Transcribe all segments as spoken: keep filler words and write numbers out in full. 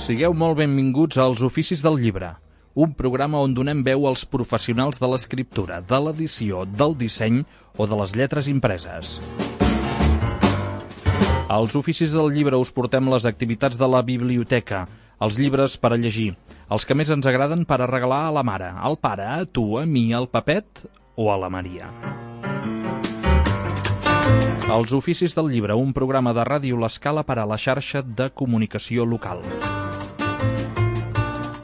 Sigueu molt benvinguts als Oficis del Llibre, un programa on donem veu als professionals de l'escriptura, de l'edició, del disseny o de les lletres impreses. Als Oficis del Llibre us portem les activitats de la biblioteca, els llibres per a llegir, els que més ens agraden per a regalar a la mare, al pare, a tu, a mi, al Pepet o a la Maria. Els Oficis del Llibre, un programa de Ràdio L'Escala per a la xarxa de comunicació local.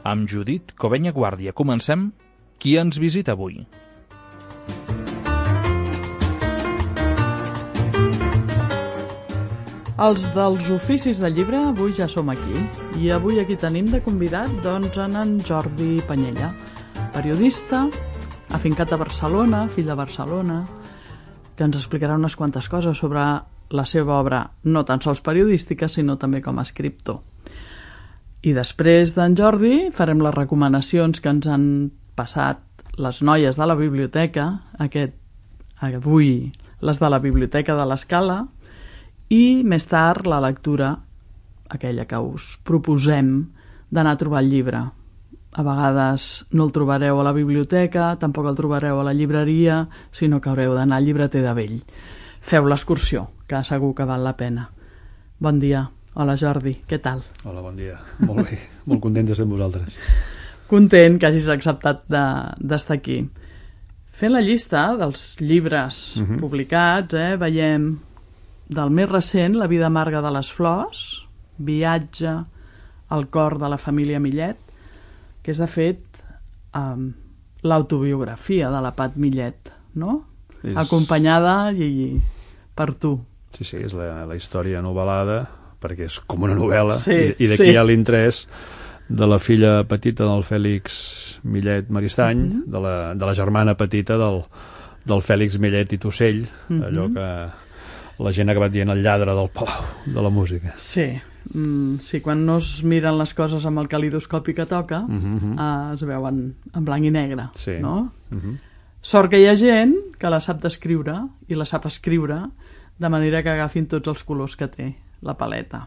Amb Judit Covenya Guàrdia comencem. Qui ens visita avui? Els dels Oficis del Llibre avui ja som aquí. I avui aquí tenim de convidat doncs, en Jordi Panyella, periodista, afincat a Barcelona, fill de Barcelona, que ens explicarà unes quantes coses sobre la seva obra, no tan sols periodística, sinó també com a escriptor. I després d'en Jordi farem les recomanacions que ens han passat les noies de la biblioteca, aquest, avui les de la Biblioteca de l'Escala, i més tard la lectura, aquella que us proposem d'anar a trobar el llibre. A vegades no el trobareu a la biblioteca, tampoc el trobareu a la llibreria, sinó que haureu d'anar al llibreter de vell. Feu l'excursió, que segur que val la pena. Bon dia. Hola Jordi, què tal? Hola, bon dia. Molt bé, molt content de ser amb vosaltres. Content que hagis acceptat d'estar de, aquí. Fent la llista dels llibres uh-huh. publicats, eh, veiem del més recent, La vida amarga de les flors, Viatge al cor de la família Millet, que és de fet um, l'autobiografia de la Pat Millet, no? És... acompanyada i per tu. Sí, sí, és la, la història novel·lada, perquè és com una novel·la, sí, i, i d'aquí sí. Hi ha l'interès de la filla petita del Fèlix Millet Maristany, uh-huh. de, la, de la germana petita del, del Fèlix Millet i Tussell, uh-huh. allò que la gent ha acabat dient el lladre del Palau de la música. Sí, mm, sí, quan no es miren les coses amb el calidoscopi que toca, uh-huh. eh, es veuen en blanc i negre, sí. no? Uh-huh. Sort que hi ha gent que la sap descriure i la sap escriure de manera que agafin tots els colors que té la paleta.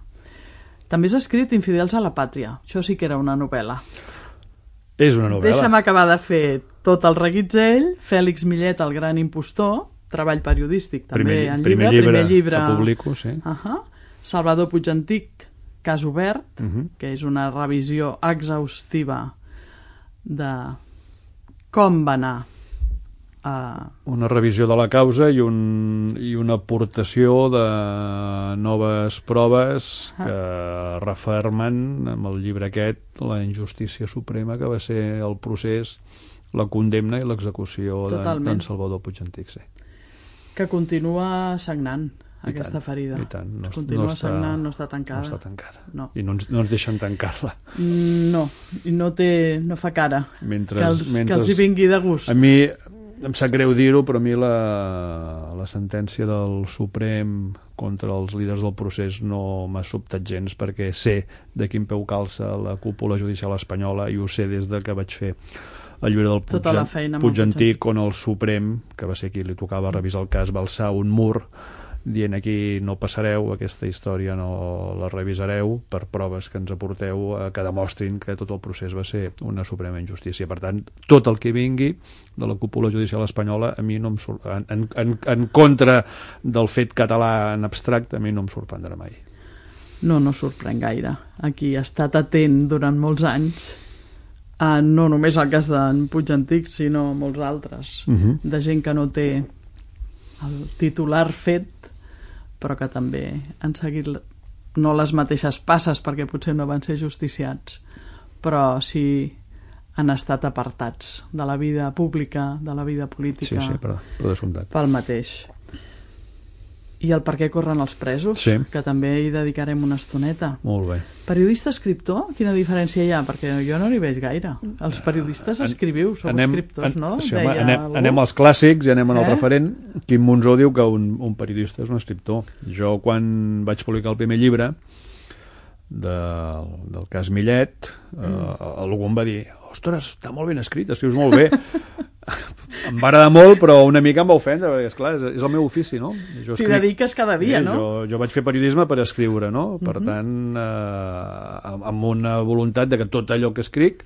També has escrit Infidels a la pàtria. Això sí que era una novel·la. És una novel·la. Deixa'm acabar de fer tot el reguitzell. Fèlix Millet, el gran impostor, treball periodístic també primer, en primer llibre, llibre, primer llibre que publico, sí. Uh-huh. Salvador Puigantic, Cas obert, uh-huh. que és una revisió exhaustiva de com va anar Uh... una revisió de la causa i, un, i una aportació de noves proves que uh. refermen amb el llibre aquest la injustícia suprema que va ser el procés, la condemna i l'execució d'en Salvador Puigantic, sí. Que continua sagnant I aquesta tant, ferida. I tant. No, continua no està, sagnant, no està tancada. No està tancada. No. I no ens, no ens deixen tancar-la. No, i no, té, no fa cara mentre, que, els, mentre, que els hi vingui de gust. A mi em sap greu dir-ho, però a mi la, la sentència del Suprem contra els líders del procés no m'ha sobtat gens, perquè sé de quin peu calça la cúpula judicial espanyola i ho sé des de que vaig fer el llibre del Puigantic, Puigantic, on el Suprem, que va ser qui li tocava revisar el cas, va alçar un mur dient aquí no passareu, aquesta història no la revisareu per proves que ens aporteu eh, que demostrin que tot el procés va ser una suprema injustícia. Per tant, tot el que vingui de la cúpula judicial espanyola a mi no em surt, en, en, en contra del fet català en abstracte, a mi no em sorprendrà mai. No, no sorprèn gaire. Aquí ha estat atent durant molts anys, eh, no només el cas d'en Puigantic, sinó molts altres, uh-huh. de gent que no té el titular fet, però que també han seguit no les mateixes passes perquè potser no van ser justiciats, però sí han estat apartats de la vida pública, de la vida política, sí, sí, però, però pel mateix. I el per què corren els presos, sí. que també hi dedicarem una estoneta. Molt bé. Periodista-escriptor, quina diferència hi ha? Perquè jo no n'hi veig gaire. Els periodistes escriviu, sou anem, escriptors, no? Sí, home, anem, anem als clàssics i anem en el eh? referent. Quim Monzó diu que un, un periodista és un escriptor. Jo, quan vaig publicar el primer llibre del, del cas Millet, mm. eh, algú em va dir: ostres, està molt ben escrit, escrius molt bé. Em va agradar molt, però una mica em va ofendre, perquè, esclar, és, és el meu ofici, no? Jo T'hi dediques cada dia, eh, no? Jo, jo vaig fer periodisme per escriure, no? Per uh-huh. tant, eh, amb una voluntat de que tot allò que escric,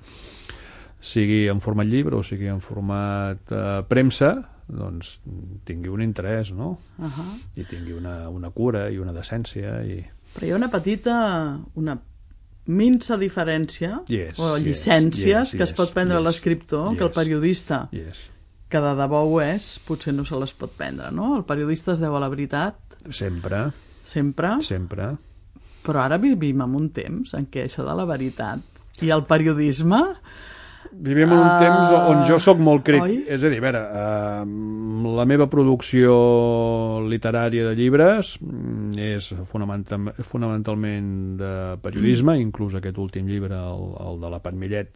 sigui en format llibre o sigui en format eh, premsa, doncs tingui un interès, no? Uh-huh. I tingui una, una cura i una decència. I... Però hi ha una petita... una minsa diferència yes, o llicències yes, yes, que es pot prendre yes, l'escriptor yes, que el periodista yes. que de debò ho és, potser no se les pot prendre, no? El periodista es deu a la veritat sempre sempre, sempre. Però ara vivim en un temps en què això de la veritat i el periodisme vivim en un uh, temps on jo sóc molt crític, és a dir, a veure, uh, la meva producció literària de llibres és fonamental, fonamentalment de periodisme, mm. inclús aquest últim llibre, el, el de la Pat Millet,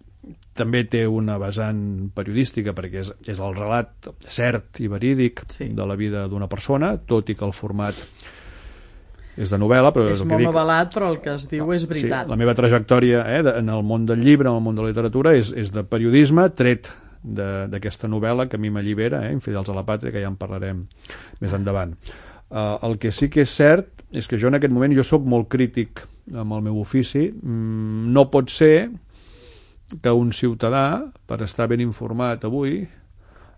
també té una vessant periodística perquè és, és el relat cert i verídic sí. de la vida d'una persona, tot i que el format és de novel·la, però és, és molt dic... novel·lat, però el que es diu és veritat. Sí, la meva trajectòria eh, de, en el món del llibre, en el món de la literatura, és, és de periodisme, tret d'aquesta novel·la que a mi m'allibera, eh, Infidels a la Pàtria, que ja en parlarem més endavant. Uh, el que sí que és cert és que jo en aquest moment jo sóc molt crític amb el meu ofici. Mm, no pot ser que un ciutadà, per estar ben informat avui,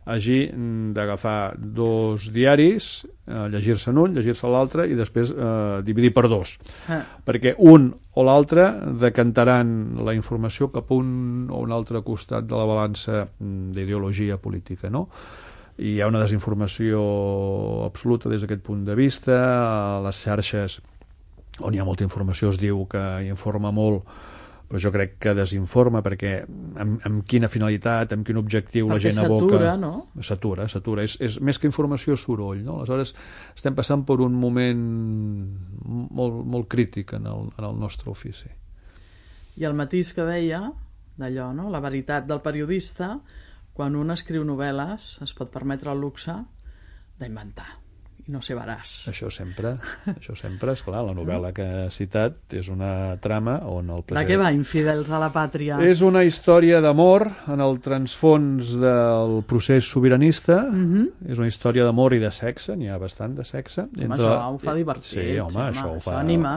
hagi d'agafar dos diaris, eh, llegir-se'n un, llegir-se l'altre i després eh, dividir per dos. Ah. Perquè un o l'altre decantaran la informació cap a un o un altre costat de la balança d'ideologia política, no? I hi ha una desinformació absoluta des d'aquest punt de vista. A les xarxes on hi ha molta informació es diu que informa molt, però jo crec que desinforma, perquè amb, amb quina finalitat, amb quin objectiu perquè la gent aboca... Perquè s'atura, no? S'atura, s'atura. És, és més que informació, soroll, no? Aleshores, estem passant per un moment molt, molt crític en el, en el nostre ofici. I el matís que deia, d'allò, no? La veritat del periodista, quan un escriu novel·les, es pot permetre el luxe d'inventar. I no sé veràs. Això sempre, això sempre, esclar, la novel·la que he citat és una trama on el president... De què va, Infidels a la Pàtria? És una història d'amor en el transfons del procés sobiranista, uh-huh. és una història d'amor i de sexe, n'hi ha bastant de sexe. Home, entre... això ho fa divertit. Sí, home, sí, home això ho fa anima.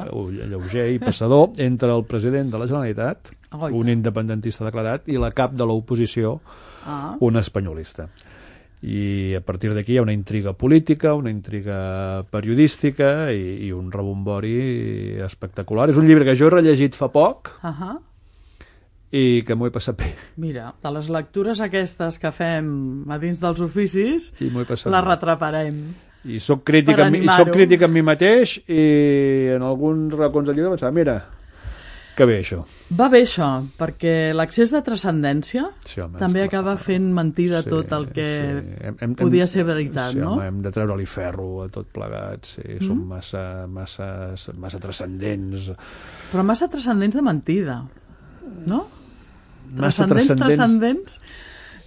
Lleuger i passador entre el president de la Generalitat, oh, un independentista declarat, i la cap de l'oposició, ah. un espanyolista. I a partir d'aquí hi ha una intriga política, una intriga periodística i, i un rebombori espectacular. És un llibre que jo he rellegit fa poc uh-huh. i que m'ho he passat bé. Mira, de les lectures aquestes que fem a dins dels oficis, les bé. retraparem. I soc crític, amb, i soc crític amb mi mateix i en alguns racons del llibre pensava, mira, que bé això. Va bé això, perquè l'accés de transcendència sí, home, també acaba fent mentida sí, tot el que sí. hem, hem, podia ser veritat, sí, no? Home, hem de treure-li ferro a tot plegat, sí, mm. som massa, massa, massa transcendents. Però massa transcendents de mentida, no? Massa transcendents, transcendents...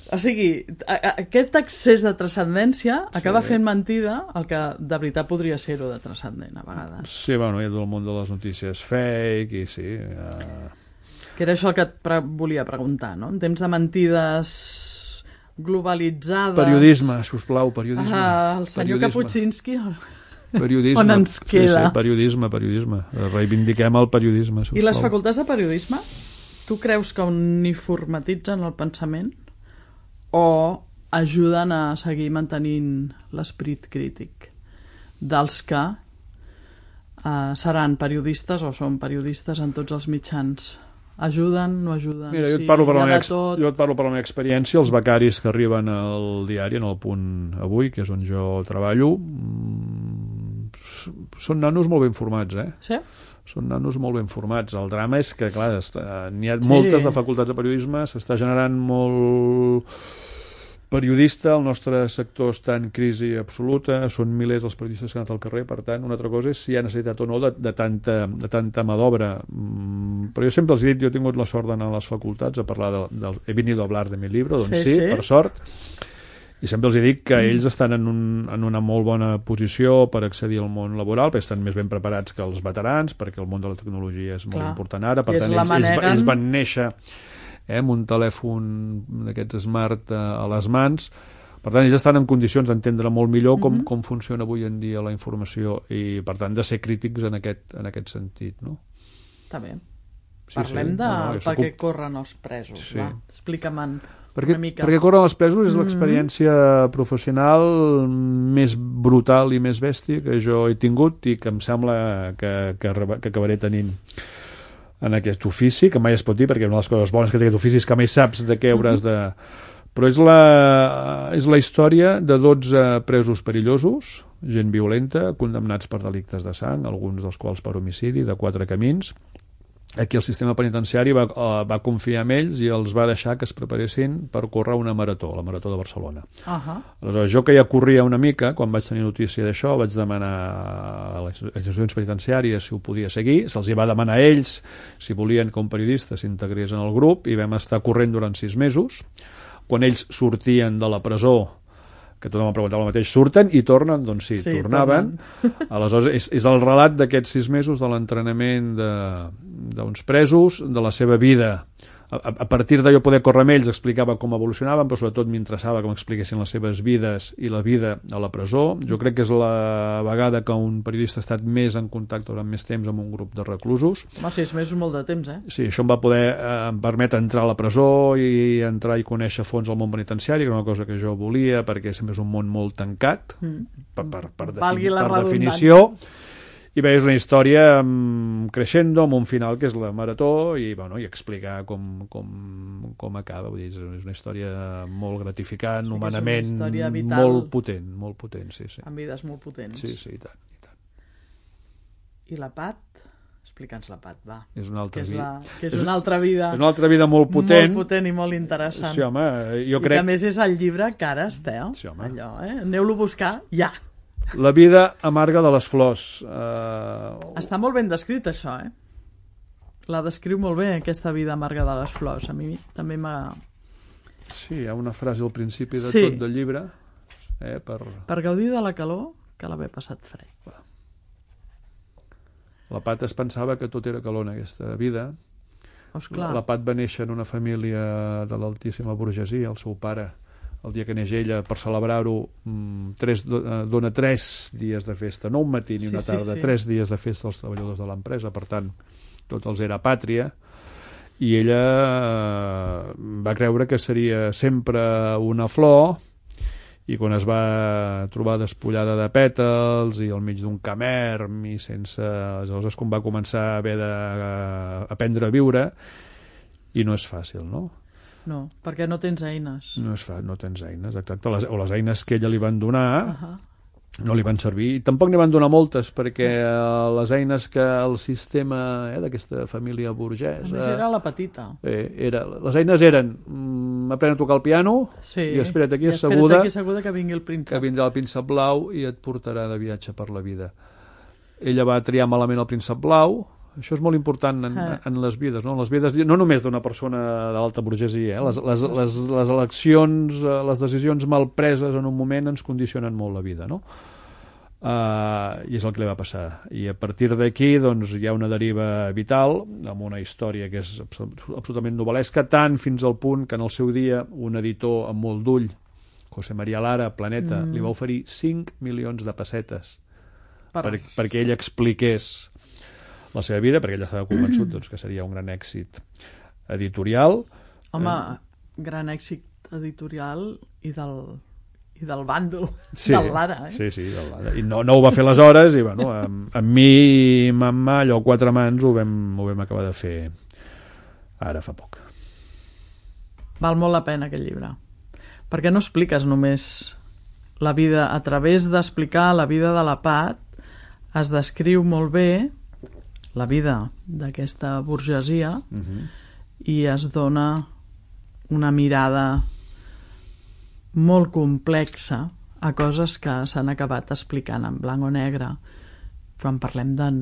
O sigui, a, a, aquest excés de transcendència acaba sí. fent mentida el que de veritat podria ser-ho de transcendent, a vegades. Sí, bueno, hi ha tot el món de les notícies fake i sí... Uh... Que era això el que et pre volia preguntar, no? En temps de mentides globalitzades... Periodisme, sisplau, periodisme. Ah, el senyor periodisme. Kapuscinski... Periodisme. On ens queda? Sí, sí, periodisme, periodisme. Reivindiquem el periodisme, sisplau. I les facultats de periodisme? Tu creus que uniformatitzen el pensament? O ajuden a seguir mantenint l'esperit crític dels que eh, seran periodistes o són periodistes en tots els mitjans? Ajuden, no ajuden? Mira, jo et, sí, parlo per la meva, jo et parlo per la meva experiència. Els becaris que arriben al diari, en el Punt Avui, que és on jo treballo, són nanos molt ben formats, eh? Sí? Són nanos molt ben formats. El drama és que, clar, n'hi ha sí. moltes de facultats de periodisme, s'està generant molt periodista, el nostre sector està en crisi absoluta, són milers els periodistes que han anat al carrer, per tant, una altra cosa és si hi ha necessitat o no de, de, tanta, de tanta mà d'obra. Mm, però jo sempre els he dit, jo he tingut la sort d'anar a les facultats a parlar de, de, he venido a hablar de mi libro, doncs sí, sí, sí, per sort, i sempre els he dit que mm. ells estan en, un, en una molt bona posició per accedir al món laboral, perquè estan més ben preparats que els veterans, perquè el món de la tecnologia és molt Clar. important ara, per I tant ells, manera... ells, ells van néixer eh, amb un telèfon d'aquests smart a, a les mans. Per tant, ells estan en condicions d'entendre molt millor com, mm-hmm. com funciona avui en dia la informació i, per tant, de ser crítics en aquest, en aquest sentit, no? Està bé. Sí, Parlem sí. de no, no, per què soc... corren els presos. Sí. Va, explica'm perquè, una mica. perquè corren els presos és Mm-hmm. l'experiència professional més brutal i més bèstia que jo he tingut i que em sembla que, que, que acabaré tenint en aquest ofici, que mai es pot dir, perquè una de les coses bones que té aquest ofici és que mai saps de què hauràs de... Però és la, és la història de dotze presos perillosos, gent violenta, condemnats per delictes de sang, alguns dels quals per homicidi, de quatre camins. Aquí el sistema penitenciari va, va confiar en ells i els va deixar que es preparessin per córrer una marató, la Marató de Barcelona. Uh-huh. Aleshores, jo que ja corria una mica, quan vaig tenir notícia d'això, vaig demanar a les institucions penitenciàries si ho podia seguir, se'ls hi va demanar a ells si volien que un periodista s'integrés en el grup i vam estar corrent durant sis mesos. Quan ells sortien de la presó, que tothom em preguntava el mateix, surten i tornen? Doncs sí, sí tornaven. Tornen. Aleshores, és, és el relat d'aquests sis mesos de l'entrenament d'uns presos, de la seva vida. A, a partir d'allò poder córrer amb ells explicava com evolucionaven, però sobretot m'interessava que m'expliquessin les seves vides i la vida a la presó. Jo crec que és la vegada que un periodista ha estat més en contacte durant més temps amb un grup de reclusos. Home, sis mesos és molt de temps, eh? Sí, això em va poder eh, em permetre entrar a la presó i entrar i conèixer a fons el món penitenciari, que era una cosa que jo volia, perquè sempre és un món molt tancat, mm. per, per, per, defini per definició. I bé, és una història um, creixendo, amb un final que és la marató, i, bueno, i explicar com, com, com acaba. Vull dir, és una història molt gratificant, sí, humanament molt potent, molt potent, sí, sí. Amb vides molt potents. Sí, sí, i tant, i tant. I la Pat? Explica'ns la Pat, va. És una altra que és, vida. la, que és, és una altra vida. És una altra vida molt potent. Molt potent i molt interessant. Sí, home, jo I crec... que a més és el llibre Cares, eh? Sí, home. Allò, eh? Aneu-lo a buscar ja. La vida amarga de les flors. Uh... Està molt ben descrit, això, eh? La descriu molt bé, aquesta vida amarga de les flors. A mi també m'ha... Sí, hi ha una frase al principi de sí. tot del llibre. Eh, per... per gaudir de la calor, cal haver passat fred. La Pat es pensava que tot era calor en aquesta vida. Osclar. La Pat va néixer en una família de l'altíssima burgesia. El seu pare, el dia que neix ella, per celebrar-ho, tres, dona tres dies de festa, no un matí ni una sí, tarda, sí, sí. tres dies de festa als treballadors de l'empresa, per tant, tot els era pàtria, i ella va creure que seria sempre una flor, i quan es va trobar despullada de pètals i al mig d'un camerm i sense... Aleshores, quan va començar a haver d'aprendre a viure, i no és fàcil, no? No, perquè no tens eines. No es fa, no tens eines, exacte. Les, o les eines que ella li van donar uh-huh. no li van servir. Tampoc n'hi van donar moltes, perquè uh, les eines que el sistema eh, d'aquesta família burgesa... A més, era la petita. Eh, era, les eines eren mm, aprèn a tocar el piano sí. i espera't aquí I asseguda, espera't aquí asseguda que vingui el príncep. Que vindrà el príncep blau i et portarà de viatge per la vida. Ella va triar malament el príncep blau. Això és molt important en, ah. en les vides, no? En les vides, no només d'una persona de l'alta burgesia, eh? les, les, les, les eleccions, les decisions mal preses en un moment ens condicionen molt la vida, no? Uh, i és el que li va passar. I a partir d'aquí doncs, hi ha una deriva vital, amb una història que és absolutament novel·lesca, tant fins al punt que en el seu dia un editor amb molt d'ull, José María Lara, Planeta, mm. li va oferir cinc milions de pessetes per... Per, perquè ell expliqués la seva vida, perquè ell estava convençut doncs, que seria un gran èxit editorial. Home, eh... gran èxit editorial i del, i del bàndol sí, del Lara. Eh? Sí, sí, del Lara. I no, no ho va fer aleshores, i bueno, amb, amb mi i mamà, allò quatre mans, ho vam, ho vam acabar de fer ara fa poc. Val molt la pena aquest llibre, perquè no expliques només la vida, a través d'explicar la vida de la Pat, es descriu molt bé la vida d'aquesta burgesia uh-huh. i es dona una mirada molt complexa a coses que s'han acabat explicant en blanc o negre quan parlem d'en,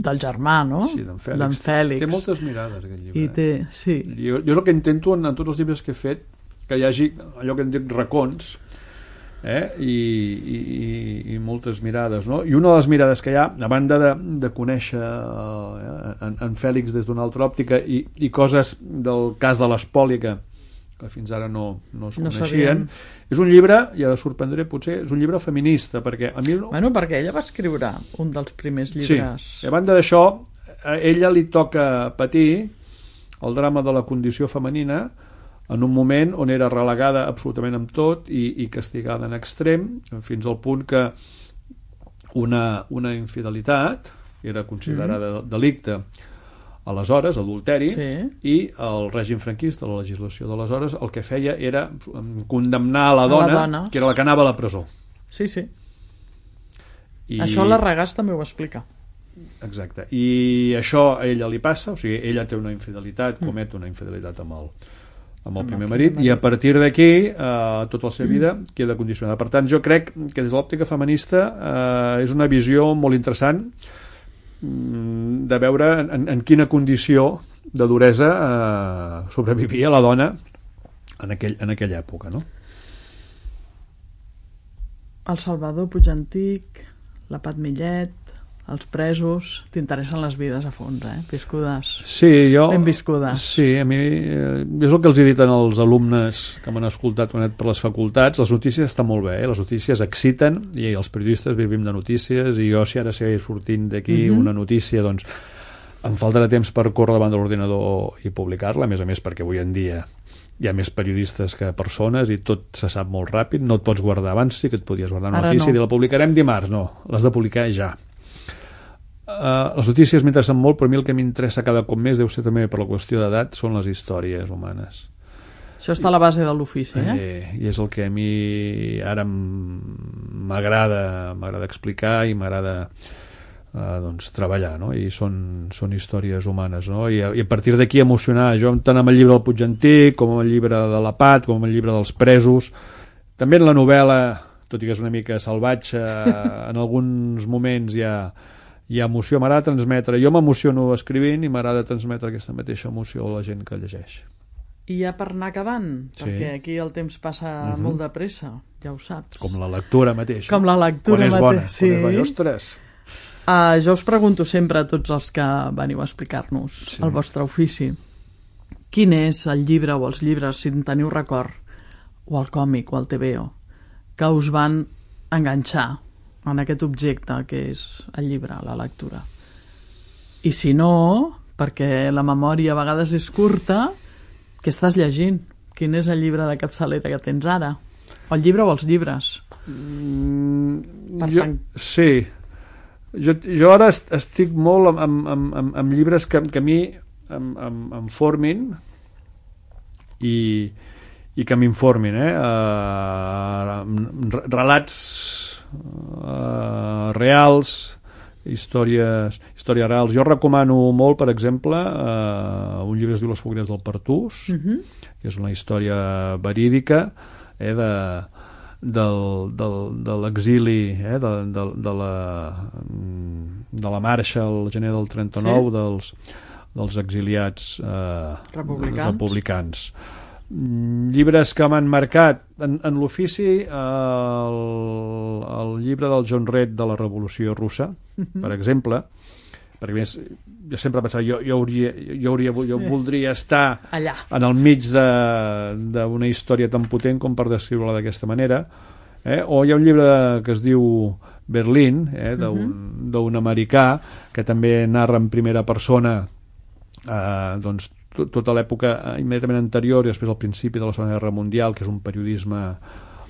del germà, no? Sí, d'en Fèlix. Fèlix. Té moltes mirades, aquest llibre. I té, sí. Jo, jo el que intento en, en tots els llibres que he fet, que hi hagi allò que en dic racons, eh? I, i, i moltes mirades, no? I una de les mirades que hi ha, a banda de, de conèixer eh, en, en Fèlix des d'una altra òptica i, i coses del cas de l'espoli que, que fins ara no, no es No coneixien, sabíem. és un llibre, i ara sorprendré potser, és un llibre feminista, perquè a mi... Bueno, perquè ella va escriure un dels primers llibres. Sí, a banda d'això, a ella li toca patir el drama de la condició femenina en un moment on era relegada absolutament amb tot i, i castigada en extrem, fins al punt que una, una infidelitat era considerada mm. delicte aleshores, adulteri, sí. i el règim franquista, la legislació d'aleshores, el que feia era condemnar a la dona, la dona. que era la que anava a la presó. Sí, sí. I... Això la Regàs també ho explica. Exacte, i això a ella li passa, o sigui, ella té una infidelitat, comet una infidelitat amb el, amb el primer marit, i a partir d'aquí eh, tota la seva vida queda condicionada. Per tant, jo crec que des de l'òptica feminista eh, és una visió molt interessant mm, de veure en, en quina condició de duresa eh, sobrevivia la dona en, aquell, en aquella època, no? El Salvador Puigantic, la Pat Millet, els presos, t'interessen les vides a fons, eh? Viscudes. Sí, jo... Ben viscudes. Sí, a mi... Eh, és el que els he dit als alumnes que m'han escoltat quan he anat per les facultats. Les notícies estan molt bé, eh? Les notícies exciten i els periodistes vivim de notícies i jo si ara sé sortint d'aquí mm-hmm. una notícia, doncs em faltarà temps per córrer davant de l'ordinador i publicar-la, a més a més perquè avui en dia hi ha més periodistes que persones i tot se sap molt ràpid, no et pots guardar. Abans sí que et podies guardar una ara notícia no. i dir la publicarem dimarts, no, l'has de publicar ja. Uh, les notícies m'interessen molt, però a mi el que m'interessa cada cop més, deu ser també per la qüestió d'edat, són les històries humanes. Això està a la base de l'ofici, eh? eh? I és el que a mi ara m'agrada m'agrada explicar i m'agrada uh, doncs, treballar, no? I són, són històries humanes, no? I a, i a partir d'aquí emocionar, jo tant amb el llibre del Puigantic com amb el llibre de la Pat, com amb el llibre dels presos, també en la novel·la, tot i que és una mica salvatge, en alguns moments hi ha hi ha emoció, m'agrada transmetre, jo m'emociono escrivint i m'agrada transmetre aquesta mateixa emoció a la gent que llegeix. I ja per anar acabant, sí. perquè aquí el temps passa uh-huh. molt de pressa, ja ho saps. Com la lectura mateixa. Com la lectura quan és bona, mateixa. Sí. Quan és bona, ostres. Uh, jo us pregunto sempre a tots els que veniu a explicar-nos sí. el vostre ofici, quin és el llibre o els llibres, si en teniu record, o el còmic o el T V O, que us van enganxar en aquest objecte que és el llibre, la lectura. I si no, perquè la memòria a vegades és curta, què estàs llegint? Quin és el llibre de capçalera que tens ara? O el llibre o els llibres? Mm, per jo, tant... Sí. Jo, jo ara estic molt amb, amb, amb, amb, amb llibres que, que a mi em, em, em formin i, i que m'informin. Eh? Uh, relats Uh, reals, històries, històries reals. Jo recomano molt, per exemple, uh, un llibre que es diu Les fogueres del Pertús, uh-huh. que és una història verídica eh, de, del, del, de l'exili eh, de, de, de, la, de la marxa al gener del trenta-nou sí. dels, dels exiliats uh, republicans. republicans. Llibres que m'han marcat en, en l'ofici, el, el llibre del John Red de la Revolució Russa, mm-hmm. per exemple, perquè més, jo sempre he pensat jo, jo, hauria, jo, hauria, jo voldria estar allà, en el mig d'una història tan potent com per descriure-la d'aquesta manera, eh? O hi ha un llibre que es diu Berlín, eh? d'un mm-hmm. americà que també narra en primera persona eh, doncs tota l'època immediatament anterior i després al principi de la Segona Guerra Mundial, que és un periodisme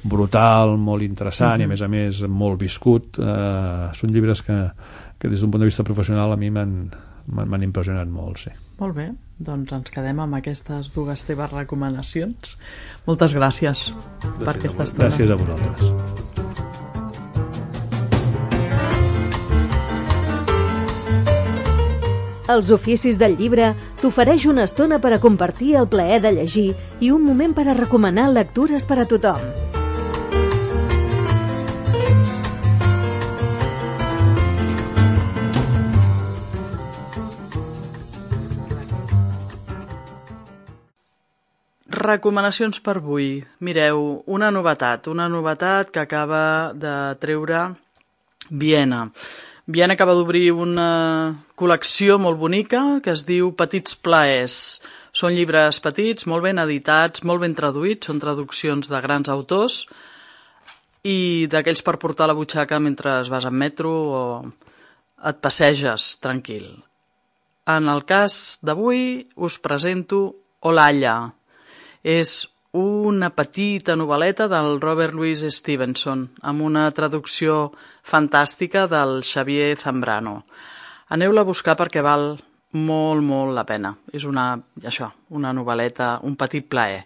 brutal, molt interessant uh-huh. i a més a més molt viscut. Eh, són llibres que, que des d'un punt de vista professional a mi m'han impressionat molt, sí. Molt bé, doncs ens quedem amb aquestes dues teves recomanacions. Moltes gràcies, gràcies per aquesta estona. Gràcies a vosaltres. Els oficis del llibre t'ofereix una estona per a compartir el plaer de llegir i un moment per a recomanar lectures per a tothom. Recomanacions per avui. Mireu, una novetat, una novetat que acaba de treure Viena. Viena acaba d'obrir una col·lecció molt bonica que es diu Petits plaers. Són llibres petits, molt ben editats, molt ben traduïts, són traduccions de grans autors i d'aquells per portar a la butxaca mentre vas en metro o et passeges tranquil. En el cas d'avui us presento Olalla. És una petita novel·leta del Robert Louis Stevenson, amb una traducció fantàstica del Xavier Zambrano. Aneu-la a buscar perquè val molt, molt la pena. És una, això, una novel·leta, un petit plaer.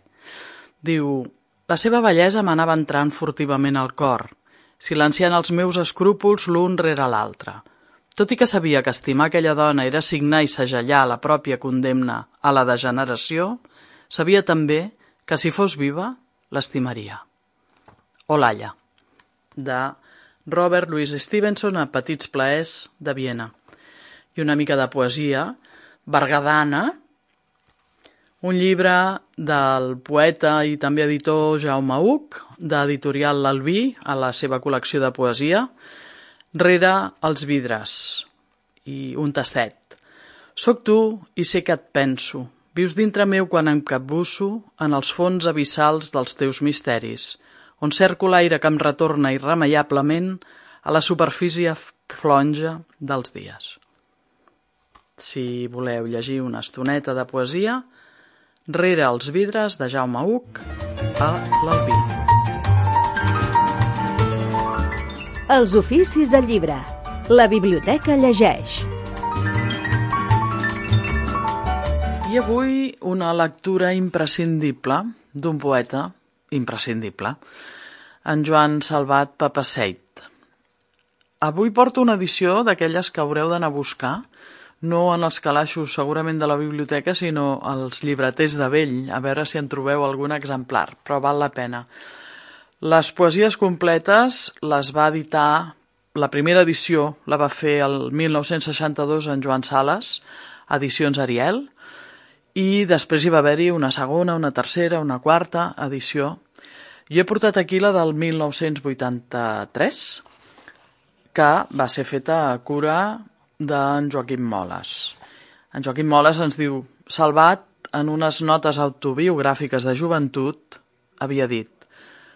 Diu, la seva bellesa m'anava entrant furtivament al cor, silenciant els meus escrúpols l'un rere l'altre. Tot i que sabia que estimar aquella dona era signar i segellar la pròpia condemna a la degeneració, sabia també que si fos viva, l'estimaria. Olalla, de Robert Louis Stevenson a Petits plaers de Viena. I una mica de poesia, Bergadana, un llibre del poeta i també editor Jaume Huc, d'editorial L'Albí, a la seva col·lecció de poesia, Rere els vidres, i un tastet. Soc tu i sé que et penso. Vius dintre meu quan em capbusso en els fons abissals dels teus misteris, on cerco l'aire que em retorna irremeiablement a la superfície flonja dels dies. Si voleu llegir una estoneta de poesia, Rere els vidres de Jaume Huc a l'Albí. Els oficis del llibre. La biblioteca llegeix. I avui una lectura imprescindible d'un poeta imprescindible, en Joan Salvat Papasseit. Avui porto una edició d'aquelles que haureu d'anar a buscar, no en els calaixos segurament de la biblioteca, sinó als llibreters de vell, a veure si en trobeu algun exemplar, però val la pena. Les poesies completes les va editar, la primera edició la va fer el mil nou-cents seixanta-dos en Joan Sales, Edicions Ariel, i després hi va haver-hi una segona, una tercera, una quarta edició. Jo he portat aquí la del mil nou-cents vuitanta-tres, que va ser feta a cura d'en Joaquim Moles. En Joaquim Moles ens diu: Salvat, en unes notes autobiogràfiques de joventut, havia dit: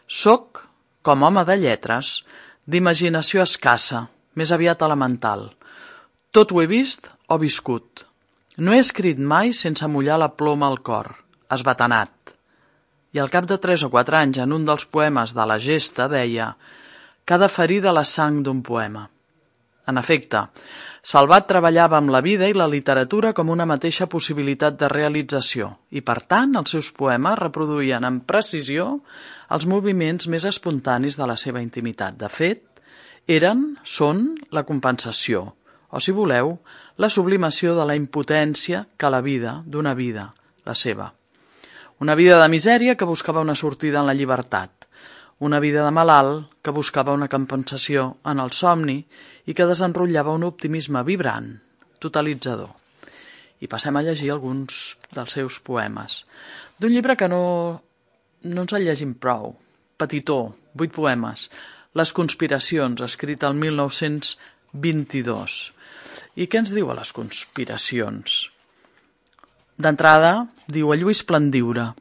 «Soc, com home de lletres, d'imaginació escassa, més aviat elemental. Tot ho he vist o viscut. No he escrit mai sense mullar la ploma al cor, esbatanat». I al cap de tres o quatre anys, en un dels poemes de la Gesta, deia: «Cada ferida la sang d'un poema». En efecte, Salvat treballava amb la vida i la literatura com una mateixa possibilitat de realització i, per tant, els seus poemes reproduïen amb precisió els moviments més espontanis de la seva intimitat. De fet, eren, són, la compensació, o, si voleu, la sublimació de la impotència que la vida, d'una vida, la seva. Una vida de misèria que buscava una sortida en la llibertat. Una vida de malalt que buscava una compensació en el somni i que desenrotllava un optimisme vibrant, totalitzador. I passem a llegir alguns dels seus poemes. D'un llibre que no, no ens el llegim prou. Petitó, vuit poemes. Les conspiracions, escrit el mil nou-cents vint-i-dos. I què ens diu a les conspiracions? D'entrada, diu a Lluís Plandiura: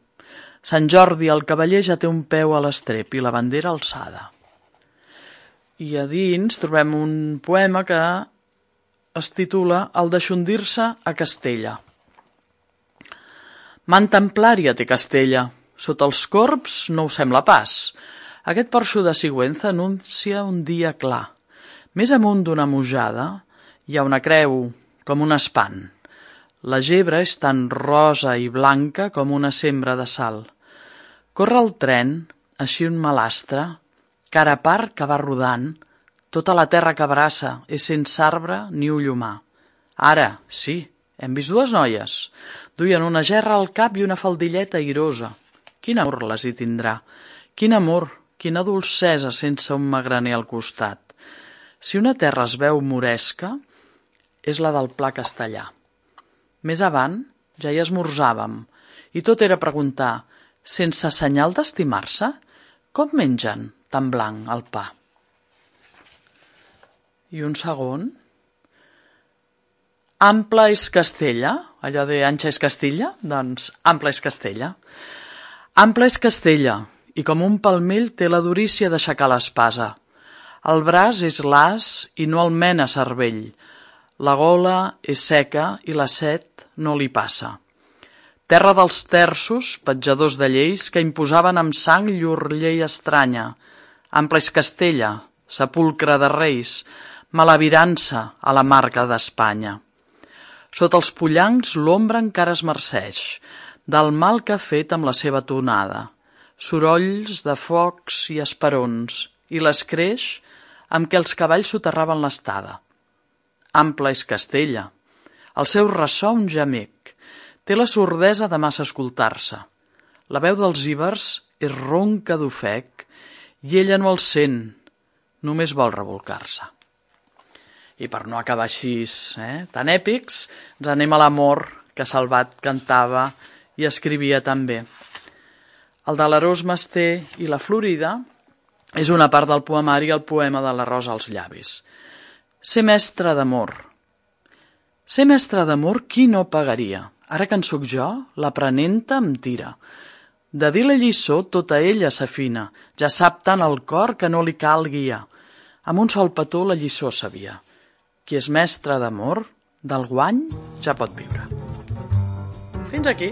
Sant Jordi, el cavaller ja té un peu a l'estrep i la bandera alçada. I a dins trobem un poema que es titula El deixondir-se a Castella. Man templària té Castella, sota els corbs no ho sembla pas. Aquest porxo de Sigüenza anuncia un dia clar. Més amunt d'una mujada hi ha una creu, com un espant. La gebre és tan rosa i blanca com una sembra de sal. Corre el tren, així un malastre, cara a part que va rodant, tota la terra que abraça és sense arbre ni ull humà. Ara, sí, hem vist dues noies. Duien una gerra al cap i una faldilleta airosa. Quin amor les hi tindrà? Quin amor, quina dolcesa sense un magraner al costat. Si una terra es veu moresca, és la del Pla Castellà. Més avant ja hi esmorzàvem, i tot era preguntar: sense senyal d'estimar-se, com mengen tan blanc el pa? I un segon. Ample és Castella, allò de ancha és Castilla, doncs ample és Castella. Ample és Castella, i com un palmell té la durícia d'aixecar l'espasa. El braç és l'as i no el mena cervell. La gola és seca i la set no li passa. Terra dels terços, petjadors de lleis, que imposaven amb sang llur llei estranya. Ample és Castella, sepulcre de reis, malavirança a la marca d'Espanya. Sota els pollancs l'ombra encara es marceix, del mal que ha fet amb la seva tonada. Sorolls de focs i esperons, i l'escreix amb què els cavalls soterraven l'estada. Ample és Castella. El seu ressò un gemec. Té la sordesa de massa escoltar-se. La veu dels íbers és ronca d'ofec i ella no el sent, només vol rebolcar-se. I per no acabar així, eh, tan èpics, ens anem a l'amor que Salvat cantava i escrivia també. El de l'Arós Master i la Florida és una part del poemari, el poema de la rosa als llavis. Ser mestre d'amor. Ser mestre d'amor, qui no pagaria? Ara que en sóc jo, l'aprenenta em tira. De dir la lliçó, tota ella s'afina. Ja sap tant el cor que no li cal guiar. Amb un sol petó la lliçó sabia. Qui és mestre d'amor, del guany ja pot viure. Fins aquí.